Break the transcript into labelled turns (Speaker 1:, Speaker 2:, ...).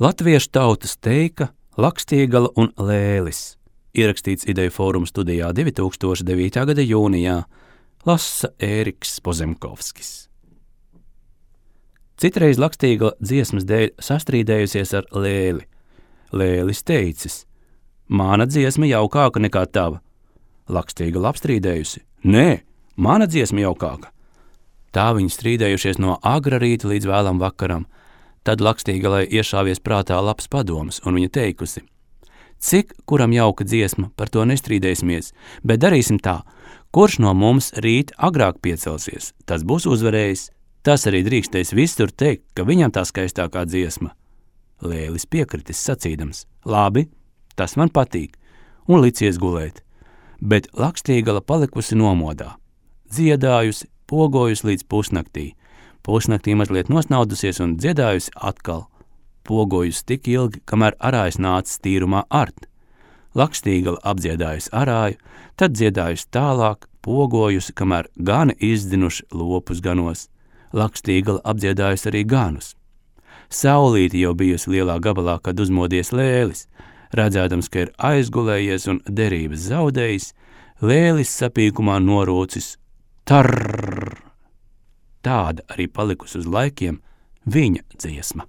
Speaker 1: Latviešu tautas teika, Lakstiegala un Lēlis. Ierakstīts Ideju fóruma studijā 2009. gada jūnijā. Lasa Ēriks Pozemkovskis. Citreiz Lakstiegala dziesmas dēļ sastrīdējusies ar Lēli. Lēlis teicis: mana dziesma jaukāka nekā tava. Lakstiegala apstrīdējusi: nē, mana dziesma jaukāka. Tā viņi strīdējušies no agra rīta līdz vēlam vakaram. Tad Lakstiegalai iešāvies prātā labs padoms, un viņa teikusi: cik kuram jauka dziesma, par to nestrīdēsimies, bet darīsim tā, kurš no mums rīt agrāk piecelsies, tas būs uzvarējis, tas arī drīkstēs visur teikt, ka viņam tā skaistākā dziesma. Lēlis piekritis sacīdams: labi, tas man patīk, un licies gulēt, bet Lakstiegala palikusi nomodā, dziedājusi, pogojusi līdz pusnaktī. Pusnaktī mazliet nosnaudusies un dziedājusi atkal, pogojusi tik ilgi, kamēr arājs nācis tīrumā art. Lakstiegala apdziedājusi arāju, tad dziedājusi tālāk, pogojusi, kamēr gani izdzinuši lopus ganos. Lakstiegala apdziedājusi arī ganus. Saulīti jau bijusi lielā gabalā, kad uzmodies Lēlis. Redzēdams, ka ir aizgulējies un derības zaudējis, Lēlis sapīkumā norūcis: tarrrr! Tāda arī palikusi uz laikiem viņa dziesma.